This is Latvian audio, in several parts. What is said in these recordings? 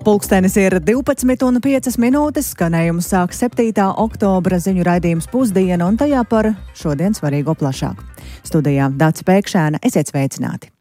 Pulkstenis ir 12:05, skanējumu sāk 7. oktobra ziņu raidījums Pusdiena un tajā par šodien svarīgo plašāk. Studijā Dāca Pēkšēna, esiet sveicināti!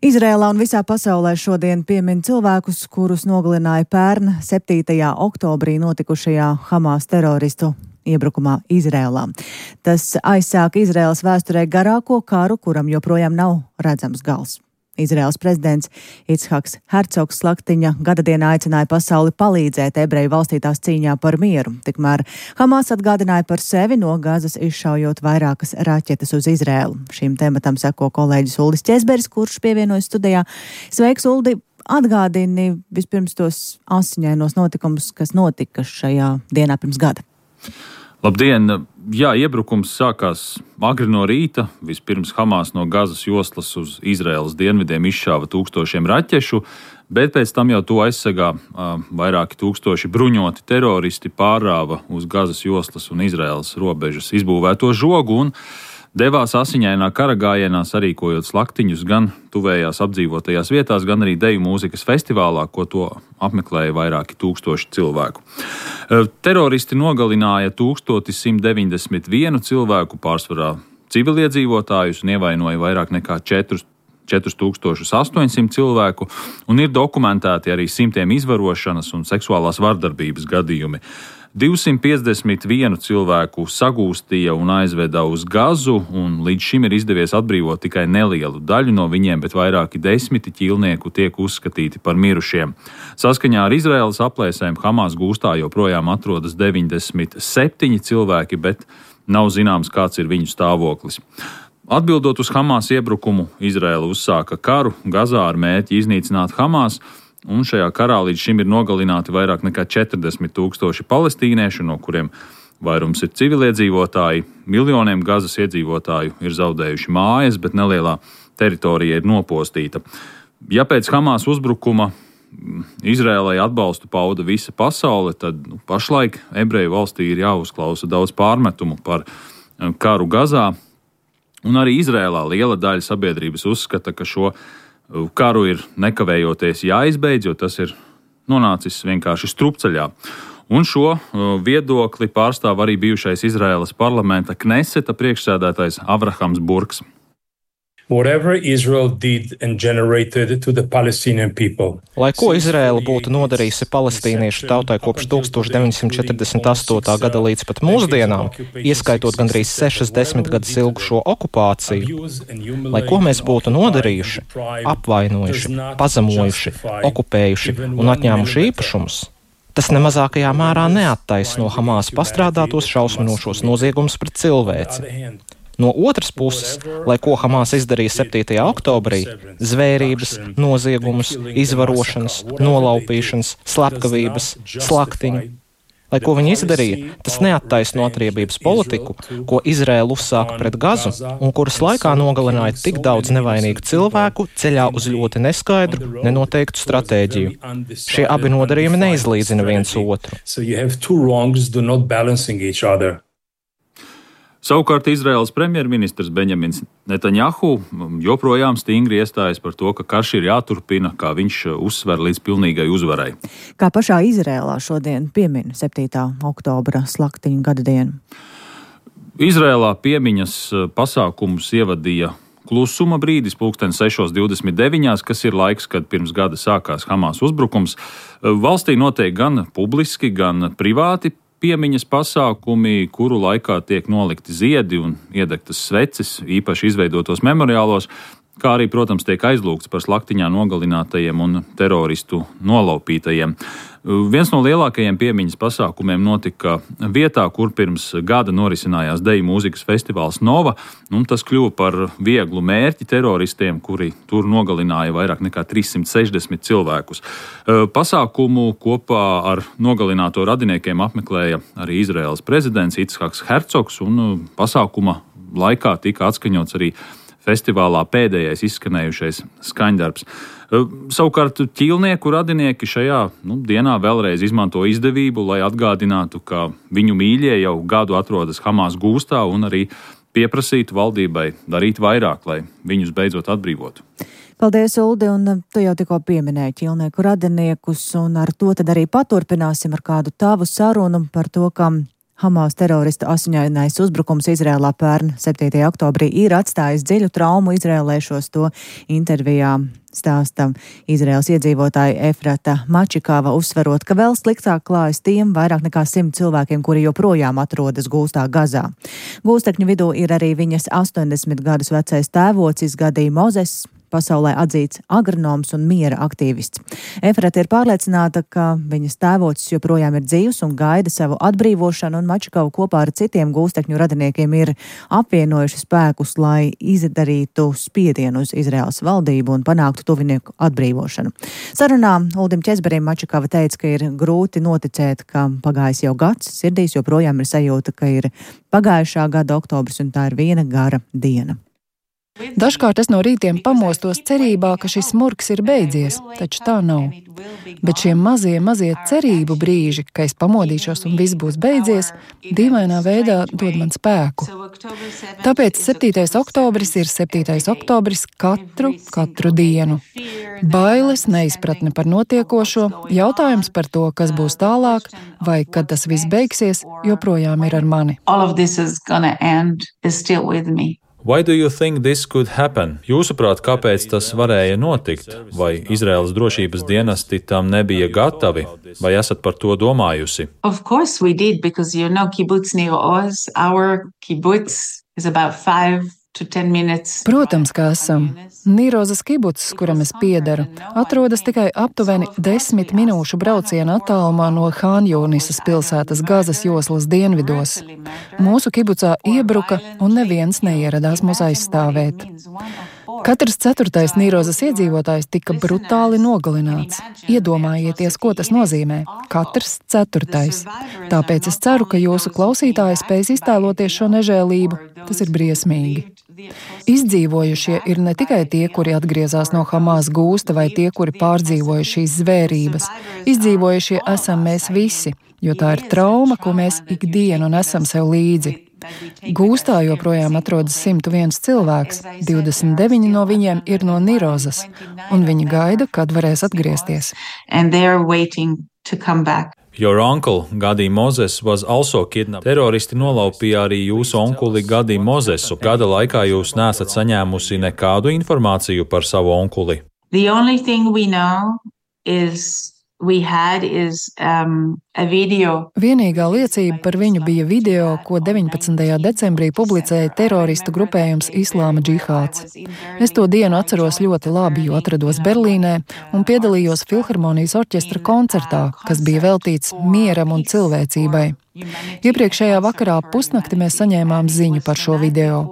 Izrēlā un visā pasaulē šodien piemin cilvēkus, kurus nogalināja pērn 7. oktobrī notikušajā Hamas teroristu iebrukumā Izrēlā. Tas aizsāk Izrēlas vēsturē garāko karu, kuram joprojām nav redzams gals. Izraēlas prezidents Icchaks Hercogs slaktiņa gadadienā aicināja pasauli palīdzēt ebreju valstī tās cīņā par mieru. Tikmēr Hamas atgādināja par sevi no Gazas izšaujot vairākas raķetes uz Izraēlu. Šīm tematam seko kolēģis Uldis Ķesberis, kurš pievienojas studijā. Sveiks, Uldi! Atgādini vispirms tos asiņainos notikumus, kas notika šajā dienā pirms gada. Labdien! Jā, iebrukums sākās agri no rīta. Vispirms Hamas no Gazas joslas uz Izraēlas dienvidiem izšāva tūkstošiem raķešu, bet pēc tam jau to aizsegā vairāki tūkstoši bruņoti teroristi pārrāva uz Gazas joslas un Izraēlas robežas izbūvēto žogu un devās asiņainā kara gājienā, sarīkojot slaktiņus gan tuvējās apdzīvotajās vietās, gan arī deju mūzikas festivālā, ko to apmeklēja vairāki tūkstoši cilvēku. Teroristi nogalināja 1191 cilvēku, pārsvarā civiliedzīvotājus, un ievainoja vairāk nekā 4800 cilvēku, un ir dokumentēti arī simtiem izvarošanas un seksuālās vardarbības gadījumi. 251 cilvēku sagūstīja un aizveda uz Gazu, un līdz šim ir izdevies atbrīvot tikai nelielu daļu no viņiem, bet vairāki desmiti ķīlnieku tiek uzskatīti par mirušiem. Saskaņā ar Izraēlas aplēsēm Hamas gūstā joprojām atrodas 97 cilvēki, bet nav zināms, kāds ir viņu stāvoklis. Atbildot uz Hamas iebrukumu, Izraēla uzsāka karu Gazā ar mērķi iznīcināt Hamas, un šajā karā līdz šim ir nogalināti vairāk nekā 40,000 palestīniešu, no kuriem vairums ir civiliedzīvotāji. Miljoniem Gazas iedzīvotāju ir zaudējuši mājas, bet nelielā teritorija ir nopostīta. Ja pēc Hamas uzbrukuma Izrēlai atbalstu pauda visa pasaule, tad pašlaik ebreju valstī ir jāuzklausa daudz pārmetumu par karu Gazā, un arī Izrēlā liela daļa sabiedrības uzskata, ka šo karu ir nekavējoties jāizbeidz, jo tas ir nonācis vienkārši strupceļā. Un šo viedokli pārstāv arī bijušais Izraēlas parlamenta Kneseta priekšsēdētājs Avrahams Burks. Whatever Israel did and generated to the Palestinian people. Lai ko Izraēla būtu nodarījusi palestīniešu tautai kopš 1948. gada līdz pat mūsdienām, ieskaitot gandrīz 60 gadus ilgu šo okupāciju, lai ko mēs būtu nodarījuši, apvainojuši, pazemojuši, okupējuši un atņēmuši īpašumus, tas nemazākajā mērā neattaisno Hamas pastrādātos šausminošos noziegumus pret cilvēci. No otras puses, lai ko Hamas izdarīja 7. oktobrī, zvērības, noziegumus, izvarošanas, nolaupīšanas, slepkavības, slaktiņu, lai ko viņi izdarīja, tas neattaisno atriebības politiku, ko Izraēla uzsāka pret Gazu un kuras laikā nogalināja tik daudz nevainīgu cilvēku ceļā uz ļoti neskaidru, nenoteiktu stratēģiju. Šie abi nodarījumi neizlīdzina viens otru. Savukārt Izraēlas premjerministrs Benjamins Netanjahu joprojām stingri iestājas par to, ka karš ir jāturpina, kā viņš uzsver līdz pilnīgai uzvarai. Kā pašā Izraēlā šodien piemin 7. oktobra slaktiņu gadadienu? Izraēlā piemiņas pasākumus ievadīja klusuma brīdis, pulksten 6:29, kas ir laiks, kad pirms gada sākās Hamas uzbrukums. Valstī notiek gan publiski, gan privāti piemiņas pasākumi, kuru laikā tiek nolikti ziedi un iedegtas sveces, īpaši izveidotos memoriālos, kā arī, protams, tiek aizlūgts par slaktiņā nogalinātajiem un teroristu nolaupītajiem. Viens no lielākajiem piemiņas pasākumiem notika vietā, kur pirms gada norisinājās deju mūzikas festivāls Nova, un tas kļuva par vieglu mērķi teroristiem, kuri tur nogalināja vairāk nekā 360 cilvēkus. Pasākumu kopā ar nogalināto radiniekiem apmeklēja arī Izraēlas prezidents Icchaks Hercogs, un pasākuma laikā tika atskaņots arī festivālā pēdējais izskanējušais skaņdarbs. Savukārt ķīlnieku radinieki šajā dienā vēlreiz izmanto izdevību, lai atgādinātu, ka viņu mīļie jau gadu atrodas Hamas gūstā un arī pieprasītu valdībai darīt vairāk, lai viņus beidzot atbrīvotu. Paldies, Uldi, un tu jau tikko pieminēji ķīlnieku radiniekus, un ar to tad arī paturpināsim ar kādu tavu sarunu par to, ka Hamas teroristu asiņainais uzbrukums Izrēlā pērn 7. oktobrī ir atstājis dziļu traumu izrēlēšos. To intervijā stāsta Izraēlas iedzīvotāja Efrata Mačikava, uzsverot, ka vēl sliktāk klājas tiem vairāk nekā 100 cilvēkiem, kuri joprojām atrodas gūstā Gazā. Gūstekņu vidū ir arī viņas 80 gadus vecais tēvocis Gadi Mozes, pasaulē atzīts agronoms un miera aktīvists. Efrata ir pārliecināta, ka viņas tēvocis joprojām ir dzīvs un gaida savu atbrīvošanu, un Mačikava kopā ar citiem gūstekņu radiniekiem ir apvienojuši spēkus, lai izdarītu spiedienu uz Izraēlas valdību un panāktu tuvinieku atbrīvošanu. Sarunā Uldim Ķezberim Mačikava teica, ka ir grūti noticēt, ka pagājis jau gads, sirdīs joprojām ir sajūta, ka ir pagājušā gada oktobris un tā ir viena gara diena. Dažkārt es no rītiem pamostos cerībā, ka šis murgs ir beidzies, taču tā nav. Bet šie mazie cerību brīži, ka es pamodīšos un viss būs beidzies, dīvainā veidā dod man spēku. Tāpēc 7. oktobris ir 7. oktobris katru dienu. Bailes, neizpratne par notiekošo, jautājums par to, kas būs tālāk, vai kad tas viss beigsies, joprojām ir ar mani. Why do you think this could happen? Jūsuprāt, kāpēc tas varēja notikt? Vai Izraēlas drošības dienesti tam nebija gatavi? Vai esat par to domājusi? Of course we did, because kibbutz Nir Oz, our kibbutz is about 5 to 10 minutes. Protams, ka esam. Nīrozas kibuts, kuram es piedaru, atrodas tikai aptuveni 10 minūšu brauciena attālumā no Hānjūnisas pilsētas Gazas joslas dienvidos. Mūsu kibucā iebruka un neviens neieradās mūs aizstāvēt. Katrs 4. Nīrozas iedzīvotājs tika brutāli nogalināts. Iedomājieties, ko tas nozīmē. Katrs 4. Tāpēc es ceru, ka jūsu klausītāji spēs iztēloties šo nežēlību. Tas ir briesmīgi. Izdzīvojušie ir ne tikai tie, kuri atgriezās no Hamas gūsta, vai tie, kuri pārdzīvoja šīs zvērības. Izdzīvojušie esam mēs visi, jo tā ir trauma, ko mēs ikdienu nesam sev līdzi. Gūstā joprojām atrodas 101 cilvēks, 29 no viņiem ir no Nīrozas, un viņi gaida, kad varēs atgriezties. Your uncle, Gadi Mozes, was also kidnapped. Teroristi nolaupīja arī jūsu onkuli Gadi Mozesu. Gada laikā jūs neesat saņēmusi nekādu informāciju par savu onkuli. The only thing we know is a video. Vienīgā liecība par viņu bija video, ko 19. decembrī publicēja teroristu grupējums Islāma džihāds. Es to dienu atceros ļoti labi, jo atrados Berlīnē un piedalījos Filharmonijas orķestra koncertā, kas bija veltīts mieram un cilvēcībai. Iepriekšējā vakarā pusnakti mēs saņēmām ziņu par šo video.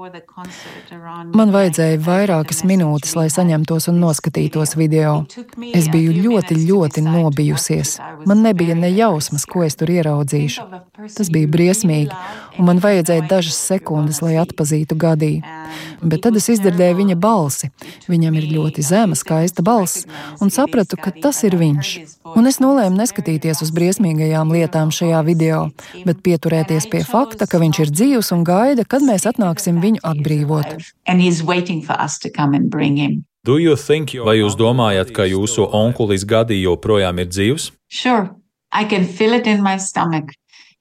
Man vajadzēja vairākas minūtes, lai saņemtos un noskatītos video. Es biju ļoti nobijusies. Man nebija ne jausmas, ko es tur ieraudzīšu. Tas bija briesmīgi, un man vajadzēja dažas sekundes, lai atpazītu Gadī. Bet tad es izdzirdēju viņa balsi. Viņam ir ļoti zema, skaista balss, un sapratu, ka tas ir viņš. Un es nolēmu neskatīties uz briesmīgajām lietām šajā video, bet pieturēties pie fakta, ka viņš ir dzīvs un gaida, kad mēs atnāksim viņu atbrīvot. Do you think, vai jūs domājat, ka jūsu onkulis Gadi joprojām ir dzīvs? Sure, I can feel it in my stomach.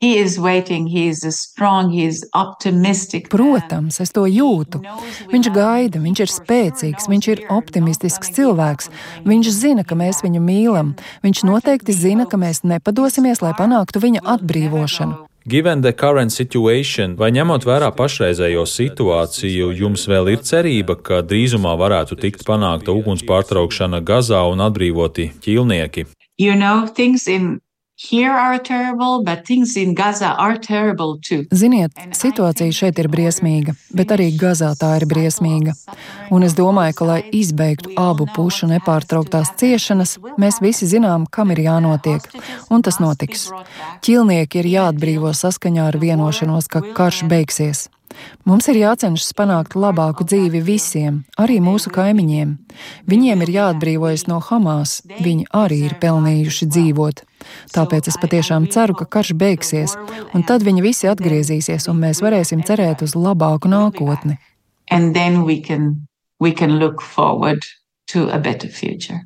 He is waiting, he is strong, he is optimistic. Protams, es to jūtu. Viņš gaida, viņš ir spēcīgs, viņš ir optimistisks cilvēks. Viņš zina, ka mēs viņu mīlam. Viņš noteikti zina, ka mēs nepadosimies, lai panāktu viņa atbrīvošanu. Given the current situation, vai ņemot vērā pašreizējo situāciju, jums vēl ir cerība, ka drīzumā varētu tikt panākta uguns pārtraukšana Gazā un atbrīvoti ķīlnieki? Things in here are terrible, but things in Gaza are terrible too. Ziniet, situācija šeit ir briesmīga, bet arī Gazā tā ir briesmīga. Un es domāju, ka, lai izbeigtu abu pušu nepārtrauktās ciešanas, mēs visi zinām, kam ir jānotiek, un tas notiks. Ķīlnieki ir jāatbrīvo saskaņā ar vienošanos, ka karš beigsies. Mums ir jācenšas panākt labāku dzīvi visiem, arī mūsu kaimiņiem. Viņiem ir jāatbrīvojas no Hamas, viņi arī ir pelnījuši dzīvot. Tāpēc es patiešām ceru, ka karš beigsies, un tad viņi visi atgriezīsies, un mēs varēsim cerēt uz labāku nākotni. And then we can look forward to a better future.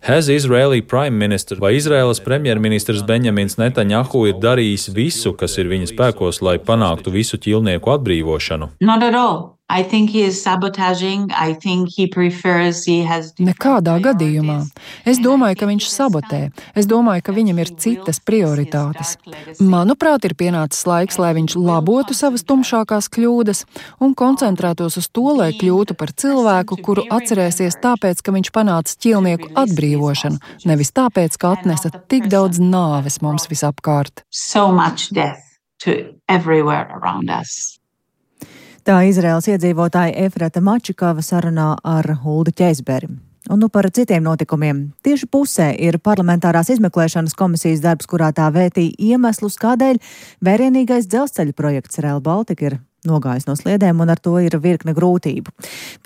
Has Israeli Prime Minister vai Izraēlas premjerministrs Benjamins Netanjahu ir darījis visu, kas ir viņa spēkos, lai panāktu visu ķīlnieku atbrīvošanu? Not at all. I think he is sabotaging. I think he prefers he has. Nekādā gadījumā. Es domāju, ka viņš sabotē. Es domāju, ka viņam ir citas prioritātes. Manuprāt, ir pienācis laiks, lai viņš labotu savas tumšākās kļūdas un koncentrētos uz to, lai kļūtu par cilvēku, kuru atcerēsies tāpēc, ka viņš panāca ķīlnieku atbrīvošanu, nevis tāpēc, ka atnesa tik daudz nāves mums visapkārt. So much death to everywhere around us. Tā Izraēlas iedzīvotāja Efrata Mačikava sarunā ar Huldu Ķeizberi. Un par citiem notikumiem. Tieši pusē ir parlamentārās izmeklēšanas komisijas darbs, kurā tā vētīja iemeslus, kādēļ vērienīgais dzelzceļa projekts Rail Baltica ir nogājis no sliedēm, un ar to ir virkne grūtību.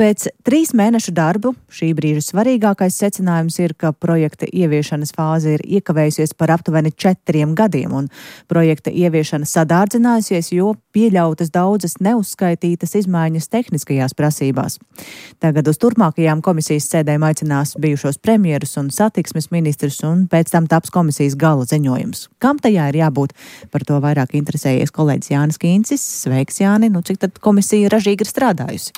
Pēc 3 mēnešu darbu šī brīža svarīgākais secinājums ir, ka projekta ieviešanas fāze ir iekavējusies par aptuveni 4 gadiem, un projekta ieviešana sadārdzinājusies, jo pieļautas daudzas neuzskaitītas izmaiņas tehniskajās prasībās. Tagad uz turpmākajām komisijas sēdēm aicinās bijušos premjerus un satiksmes ministrus, un pēc tam taps komisijas gala ziņojums. Kam tajā ir jābūt? Par to vairāk interesējies kolēģis Jānis Kīncis. Sveiks, Jāni! Cik tad komisija ražīgi ir strādājusi?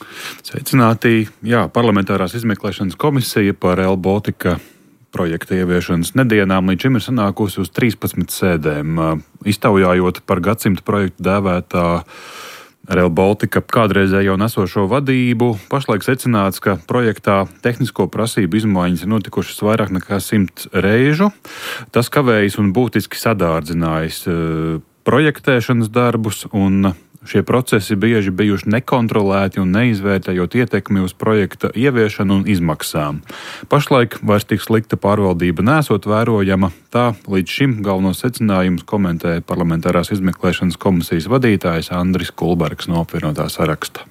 Sveicināti! Jā, parlamentārās izmeklēšanas komisija par Rail Baltica projekta ieviešanas nedienām līdz šim ir sanākusi uz 13 sēdēm, iztaujājot par gadsimta projektu dēvētā Rail Baltica kādreizējo nesošo vadību. Pašlaik secināts, ka projektā tehnisko prasību izmaiņas ir notikušas vairāk nekā 100 reižu. Tas kavējas un būtiski sadārdzinājis projektēšanas darbus, un šie procesi bieži bijuši nekontrolēti un neizvērtējot ietekmi uz projekta ieviešanu un izmaksām. Pašlaik vairs tik slikta pārvaldība nesot vērojama. Tā līdz šim galvenos secinājumus komentēja parlamentārās izmeklēšanas komisijas vadītājs Andris Kulbergs no apvienotā saraksta.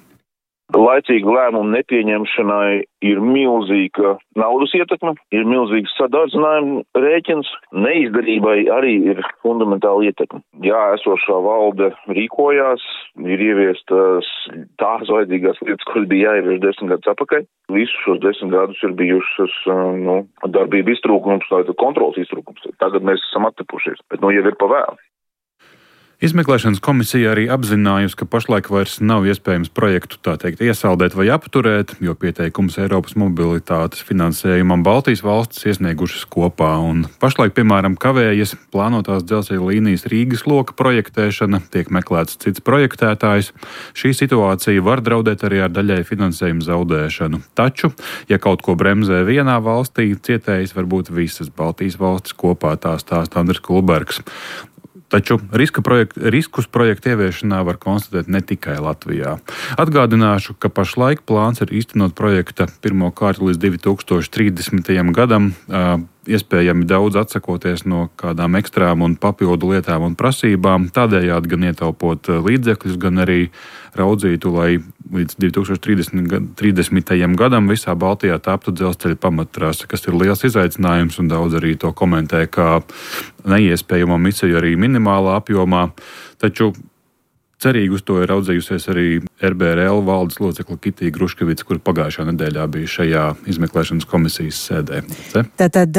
Laicīga lēmuma nepieņemšanai ir milzīga naudas ietekme, ir milzīgs sadārdzinājuma rēķins, neizdarībai arī ir fundamentāla ietekme. Jā, esošā valde rīkojās, ir ieviestas tās vajadzīgās lietas, kuras bija jāievieš 10 gadus atpakaļ. Visus šos 10 gadus ir bijušas darbība iztrūkums, kontrols iztrūkums. Tagad mēs esam attepušies, bet jau ir pa vēlu. Izmeklēšanas komisija arī apzinājusi, ka pašlaik vairs nav iespējams projektu tā teikt iesaldēt vai apturēt, jo pieteikums Eiropas mobilitātes finansējumam Baltijas valstis iesniegušas kopā. Un pašlaik, piemēram, kavējas plānotās dzelzceļa līnijas Rīgas loka projektēšana, tiek meklēts cits projektētājs. Šī situācija var draudēt arī ar daļai finansējumu zaudēšanu. Taču, ja kaut ko bremzē vienā valstī, cietējis var būt visas Baltijas valstis kopā, tā stāsta Andris Kulbergs. Taču riskus projekta ieviešanā var konstatēt ne tikai Latvijā. Atgādināšu, ka pašlaik plāns ir īstenot projekta pirmo kārtu līdz 2030. gadam, iespējami daudz atsakoties no kādām ekstrām un papildu lietām un prasībām, tādējādi gan ietaupot līdzekļus, gan arī raudzītu, lai līdz 2030. gadam visā Baltijā taptu dzelzceļa pamattrase, kas ir liels izaicinājums, un daudz arī to komentē kā neiespējamo misiju arī minimālā apjomā. Taču cerīgi uz to ir raudzījusies arī RBRL valdes locekle Kitija Gruškevica, kur pagājušā nedēļā bija šajā izmeklēšanas komisijas sēdē. Tātad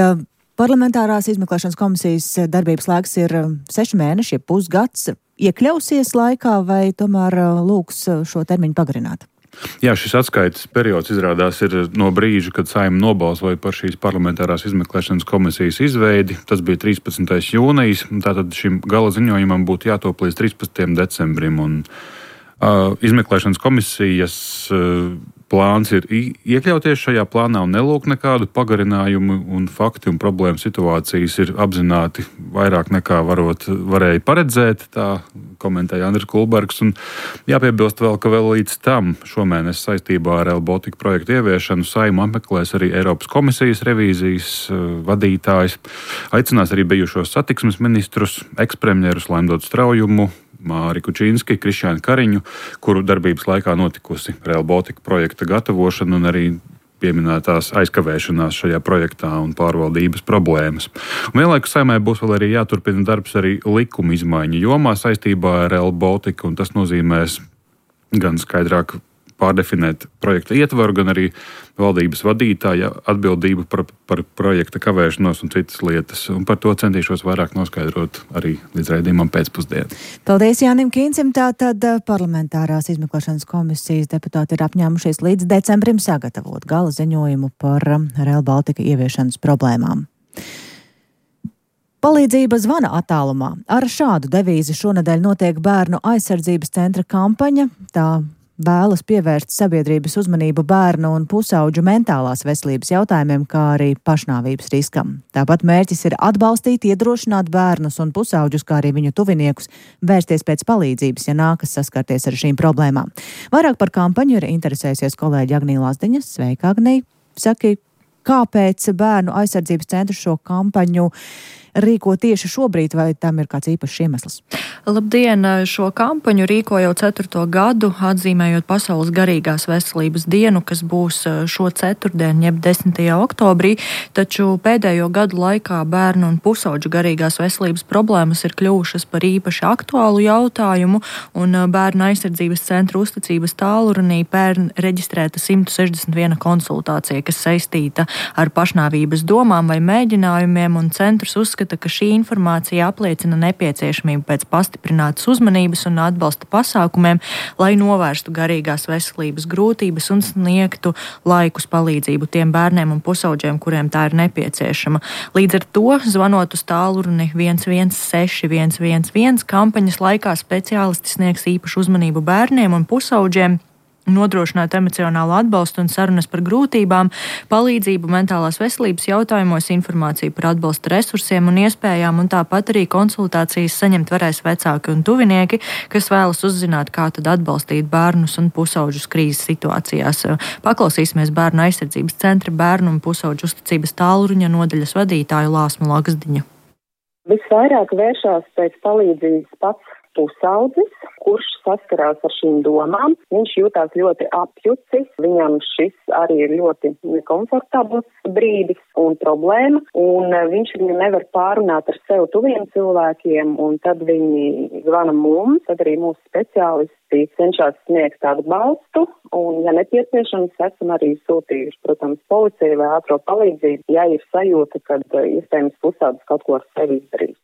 parlamentārās izmeklēšanas komisijas darbības laiks ir 6 mēneši, ja pusgads. Iekļausies laikā vai tomēr lūgs šo termiņu pagarināt? Jā, šis atskaites periods izrādās ir no brīža, kad Saeima nobalsoja par šīs parlamentārās izmeklēšanas komisijas izveidi. Tas bija 13. jūnijas, tātad šim gala ziņojumam būtu jātop līdz 13. decembrim. Un, izmeklēšanas komisijas plāns ir iekļauties šajā plānā un nelūk nekādu pagarinājumu, un fakti un problēmu situācijas ir apzināti vairāk nekā varēja paredzēt, tā komentēja Andris Kulbergs. Un jāpiebilst vēl, ka vēl līdz tam šomēnes saistībā ar Rail Baltica projektu ieviešanu Saeimu apmeklēs arī Eiropas komisijas revīzijas vadītājs, aicinās arī bijušos satiksmes ministrus, ekspremjerus Laimdotu Straujumu, Māri Kučīnski, Krišjānu Kariņu, kuru darbības laikā notikusi Rail Baltica projekta gatavošana un arī pieminētās aizkavēšanās šajā projektā un pārvaldības problēmas. Un vienlaikus Saeimai būs vēl arī jāturpina darbs arī likuma izmaiņu jomā saistībā ar Rail Baltica, un tas nozīmēs gan skaidrāk pārdefinēt projekta ietvaru, gan arī valdības vadītāja atbildību par projekta kavēšanos un citas lietas. Un par to centīšos vairāk noskaidrot arī līdz raidījumam pēcpusdienu. Paldies Jānim Kīncim. Tātad parlamentārās izmeklēšanas komisijas deputāti ir apņēmušies līdz decembrim sagatavot gala ziņojumu par Rail Baltica ieviešanas problēmām. Palīdzība zvana attālumā. Ar šādu devīzi šonedēļ notiek Bērnu aizsardzības centra kampaņa. Tā vēlas pievērst sabiedrības uzmanību bērnu un pusauģu mentālās veselības jautājumiem, kā arī pašnāvības riskam. Tāpat mērķis ir atbalstīt, iedrošināt bērnus un pusauģus, kā arī viņu tuviniekus, vērsties pēc palīdzības, ja nākas saskarties ar šīm problēmām. Vairāk par kampaņu ir interesējusies kolēģi Agnija Lazdiņa. Sveika, Agnija! Saki, kāpēc Bērnu aizsardzības centrs šo kampaņu rīko tieši šobrīd, vai tam ir kāds īpašs iemesls? Labdien! Šo kampaņu rīko jau 4. gadu, atzīmējot Pasaules garīgās veselības dienu, kas būs šo ceturtdienu, jeb 10. oktobrī, taču pēdējo gadu laikā bērnu un pusauģu garīgās veselības problēmas ir kļuvušas par īpaši aktuālu jautājumu, un Bērnu aizsardzības centra uzticības tālrunī pērn reģistrēta 161 konsultācija, kas saistīta ar pašnāvības domām vai mēģinājumiem, un centrs uzskata, ka šī informācija apliecina nepieciešamību pēc pastiprinātas uzmanības un atbalsta pasākumiem, lai novērstu garīgās veselības grūtības un sniegtu laikus palīdzību tiem bērniem un pusauģiem, kuriem tā ir nepieciešama. Līdz ar to, zvanot uz tālruni 116 111, kampaņas laikā speciālisti sniegs īpašu uzmanību bērniem un pusauģiem, nodrošināt emocionālu atbalstu un sarunas par grūtībām, palīdzību mentālās veselības jautājumos, informāciju par atbalsta resursiem un iespējām, un tāpat arī konsultācijas saņemt varēs vecāki un tuvinieki, kas vēlas uzzināt, kā tad atbalstīt bērnus un pusauģus krīzes situācijās. Paklausīsimies Bērnu aizsardzības centra bērnu un pusauģu uzticības tālruņa nodaļas vadītāju Lāsmu Laksdiņu. Visvairāk vēršās pēc palīdzības pats pusaudzis, kurš saskarās ar šīm domām. Viņš jūtās ļoti apjucis, viņam šis arī ir ļoti nekomfortabls brīdis un problēma, un viņš viņu nevar pārunāt ar sev tuviem cilvēkiem, un tad viņi zvana mums, tad arī mūsu speciālisti cenšas sniegt tādu balstu, un, ja nepieciešams, esam arī sūtījuši, protams, policiju vai ātro palīdzību, ja ir sajūta, kad iespējams pusaudzis kaut ko ar sevi izdarīs.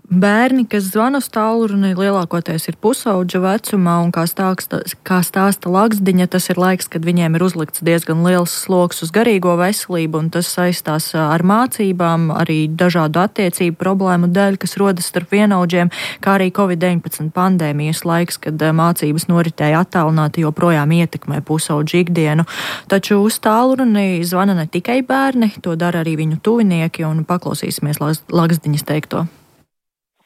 Bērni, kas zvana uz tālruni, lielākoties ir pusauģa vecumā, un kā stāsta Laksdiņa, tas ir laiks, kad viņiem ir uzlikts diezgan liels sloks uz garīgo veselību, un tas saistās ar mācībām, arī dažādu attiecību problēmu dēļ, kas rodas starp vienaudžiem, kā arī Covid-19 pandēmijas laiks, kad mācības noritēja attālināti, joprojām ietekmē pusauģu ikdienu. Taču uz tālruni zvana ne tikai bērni, to dara arī viņu tuvinieki, un paklausīsimies Laksdiņas teikto.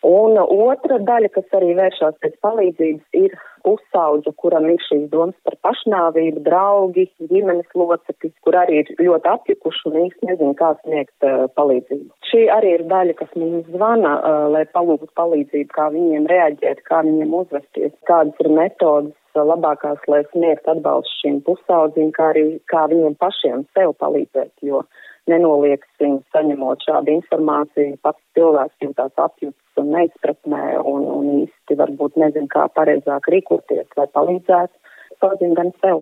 Un otra daļa, kas arī vēršās pēc palīdzības, ir pusauģa, kuram ir šīs domas par pašnāvību, draugi, ģimenes locekļi, kur arī ir ļoti apjukuši un īsti nezinu, kā sniegt palīdzību. Šī arī ir daļa, kas mums zvana, lai palūgtu palīdzību, kā viņiem reaģēt, kā viņiem uzvesties, kādas ir metodas labākās, lai sniegt atbalstu šīm pusaudzim, kā arī kā viņiem pašiem sev palīdzēt, jo nenolieksim, saņemot šādu informāciju, pats cilvēks jūtās apjutis un neizpratnē un īsti varbūt nezin, kā pareizāk rīkoties, lai palīdzētu saudzim gan sev.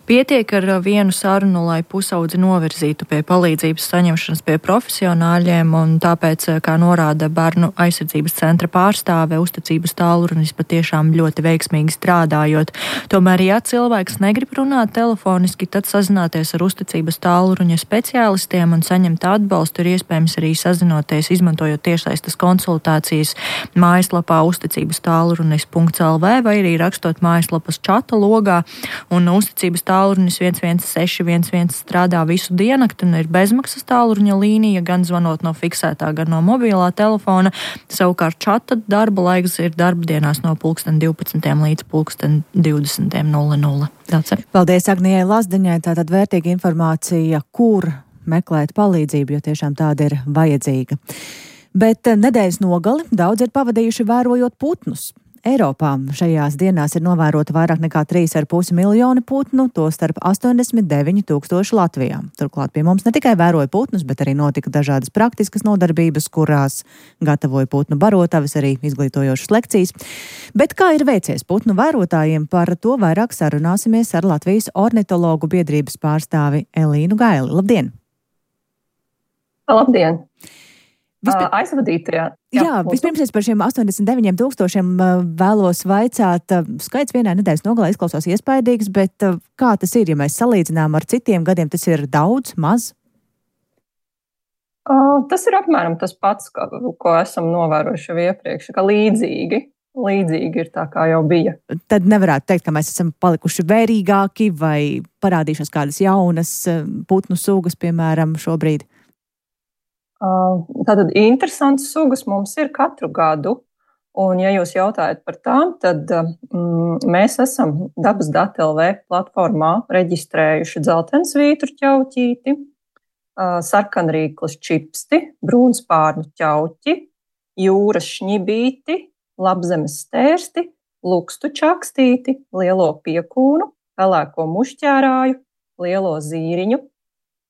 Pietiek ar vienu sarunu, lai pusaudzi novirzītu pie palīdzības saņemšanas pie profesionāļiem, un tāpēc, kā norāda Bērnu aizsardzības centra pārstāve, uzticības tālrunis patiešām ļoti veiksmīgi strādājot. Tomēr, ja cilvēks negrib runāt telefoniski, tad sazināties ar uzticības tālruņa speciālistiem un saņemt atbalstu ir iespējams arī sazinoties, izmantojot tiešsaistes konsultācijas mājaslapā uzticības-tālrunis.lv vai arī rakstot mājaslapas čata logā, un uzticības tālrunis 116 111 strādā visu diennakti un ir bezmaksas tālruņa līnija, gan zvanot no fiksētā, gan no mobilā telefona. Savukārt čata darba laiks ir darbdienās no 12:00 līdz 20:00. Paldies Agnijai Lazdiņai, tātad vērtīga informācija, kur meklēt palīdzību, jo tiešām tāda ir vajadzīga. Bet nedēļas nogali daudz ir pavadījuši vērojot putnus. Eiropā šajās dienās ir novērota vairāk nekā 3,5 miljoni putnu, to starp 89 000 Latvijā. Turklāt pie mums ne tikai vēroja putnus, bet arī notika dažādas praktiskas nodarbības, kurās gatavoja putnu barotavis, arī izglītojošas lekcijas. Bet kā ir veicies putnu vērotājiem, par to vairāk sarunāsimies ar Latvijas ornitologu biedrības pārstāvi Elīnu Gaili. Labdien! Labdien! Aizvadītajā. Jā, vispirms es par šiem 89 000 vēlos vaicāt. Skaits vienā nedēļas nogalē izklausās iespaidīgs, bet kā tas ir, ja mēs salīdzinām ar citiem gadiem, tas ir daudz, maz? Tas ir apmēram tas pats, ko esam novērojuši jau iepriekš, ka līdzīgi ir tā, kā jau bija. Tad nevarētu teikt, ka mēs esam palikuši vērīgāki vai parādījušās kādas jaunas putnu sugas, piemēram, šobrīd? Tātad interesantas sugas mums ir katru gadu, un ja jūs jautājat par tām, tad mēs esam Dabas dati LV platformā reģistrējuši dzeltensvītru ķauķīti, sarkanrīklas čipsti, brūnspārnu ķauķi, jūras šņibīti, labzemes stērsti, lukstu čakstīti, lielo piekūnu, pelēko mušķērāju, lielo zīriņu,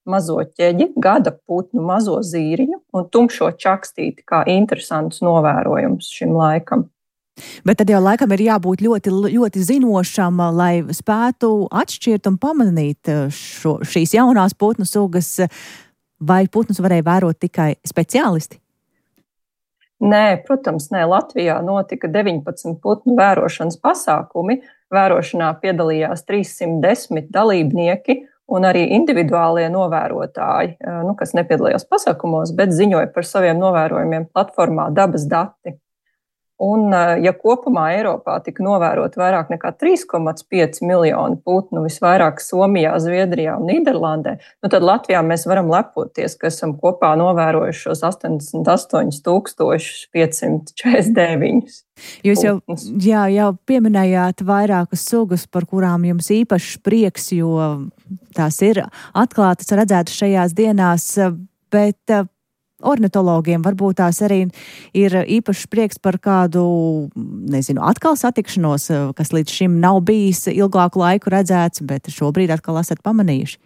mazo ķeģi, gada putnu mazo zīriņu un tumšo čakstīti kā interesants novērojums šim laikam. Bet tad jau laikam ir jābūt ļoti, ļoti zinošam, lai spētu atšķirt un pamanīt šīs jaunās putnu sugas, vai putnus varēja vērot tikai speciālisti? Nē, protams, nē. Latvijā notika 19 putnu vērošanas pasākumi. Vērošanā piedalījās 310 dalībnieki, un arī individuālie novērotāji, kas nepiedalījās pasākumos, bet ziņoja par saviem novērojumiem platformā Dabas dati. Un, ja kopumā Eiropā tika novērot vairāk nekā 3,5 miljoni putnu, visvairāk Somijā, Zviedrijā un Nīderlandē, tad Latvijā mēs varam lepoties, ka esam kopā novērojuši šos 88 549. Jūs jau pieminējāt vairākas sugas, par kurām jums īpašs prieks, jo tās ir atklātas, redzētas šajās dienās, bet ornitologiem varbūt tās arī ir īpašs prieks par kādu, atkal satikšanos, kas līdz šim nav bijis ilgāku laiku redzēts, bet šobrīd atkal esat pamanījuši.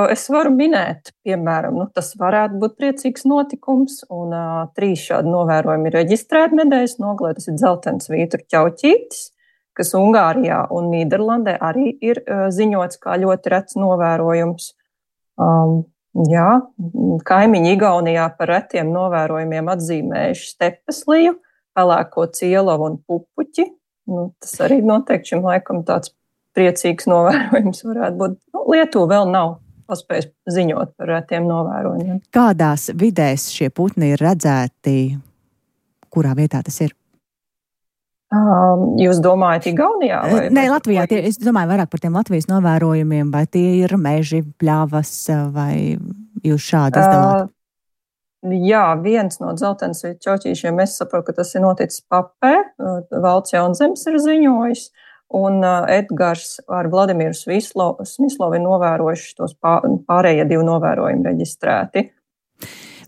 Es varu minēt, piemēram, tas varētu būt priecīgs notikums, un 3 šādi novērojumi ir reģistrēti nedēļas nogalē. Tas ir dzeltensvītru ķauķītis, kas Ungārijā un Nīderlandē arī ir ziņots kā ļoti rets novērojums. Kaimiņi Igaunijā par retiem novērojumiem atzīmējuši stepesliju, pelēko cielavu un pupuķi. Tas arī noteikti šim laikam tāds priecīgs novērojums varētu būt. Lietuva vēl nav paspējis ziņot par retiem novērojumiem. Kādās vidēs šie putni ir redzēti? Kurā vietā tas ir? Jūs domājat Igaunijā? Nē, Latvijā. Es domāju vairāk par tiem Latvijas novērojumiem, vai tie ir meži, pļavas, vai jūs šādi izdalāt? Jā, viens no dzeltensvītru ķauķīšiem, es saprotu, ka tas ir noticis Papē, Valds Jaunzems ir ziņojis, un Edgars ar Vladimiru Smislovu ir novērojuši tos pārējie 2 novērojumi reģistrēti.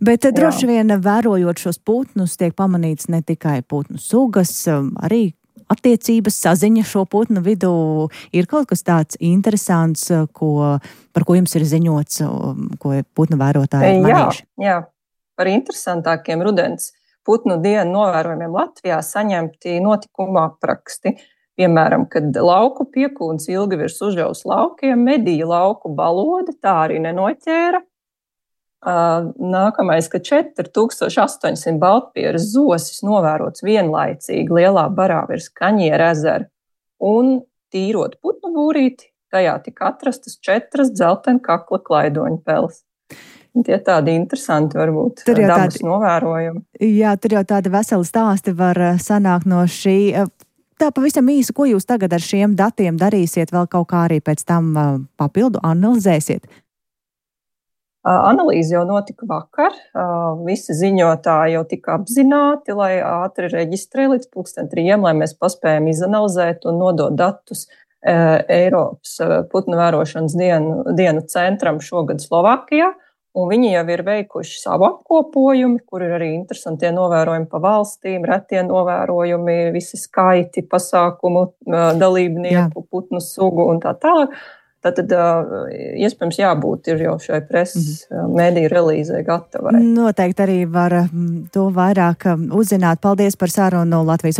Bet droši vien vērojot šos putnus, tiek pamanīts ne tikai putnu sugas, arī attiecības, saziņa šo putnu vidū. Ir kaut kas tāds interesants, par ko jums ir ziņots, ko putnu vērotāji manījuši? Jā, par interesantākiem rudens putnu dienu novērojumiem Latvijā saņemti notikuma apraksti. Piemēram, kad lauku piekūns ilgi virs Užļavas laukiem medīja lauku balodi, tā arī nenoķēra. Nākamais, ka 4800 baltpieras zosis novērots vienlaicīgi lielā barā virs Kaņiera ezera, un tīrot putnu būrīti, tajā tika atrastas 4 dzeltena kakla klaidoņu peles. Tie tādi interesanti varbūt dabas novērojumi. Jā, tur jau tādi veseli stāsti var sanākt no šī. Tā pavisam īsi, ko jūs tagad ar šiem datiem darīsiet, vēl kaut kā arī pēc tam papildu analizēsiet? Analīze jau notika vakar. Visi ziņotāji jau tika apzināti, lai ātri reģistrē līdz 3:00, lai mēs paspējam izanalizēt un nodot datus Eiropas putnu vērošanas dienu centram šogad Slovākijā. un viņi jau ir veikuši savu apkopojumu, kur ir arī interesantie novērojumi pa valstīm, retie novērojumi, visi skaiti, pasākumu, dalībnieku, putnu sugu un tā tālāk. Tātad, iespējams, jābūt ir jau šai preses mediju relīzē gatavai. Noteikti arī var to vairāk uzzināt. Paldies par sarunu Latvijas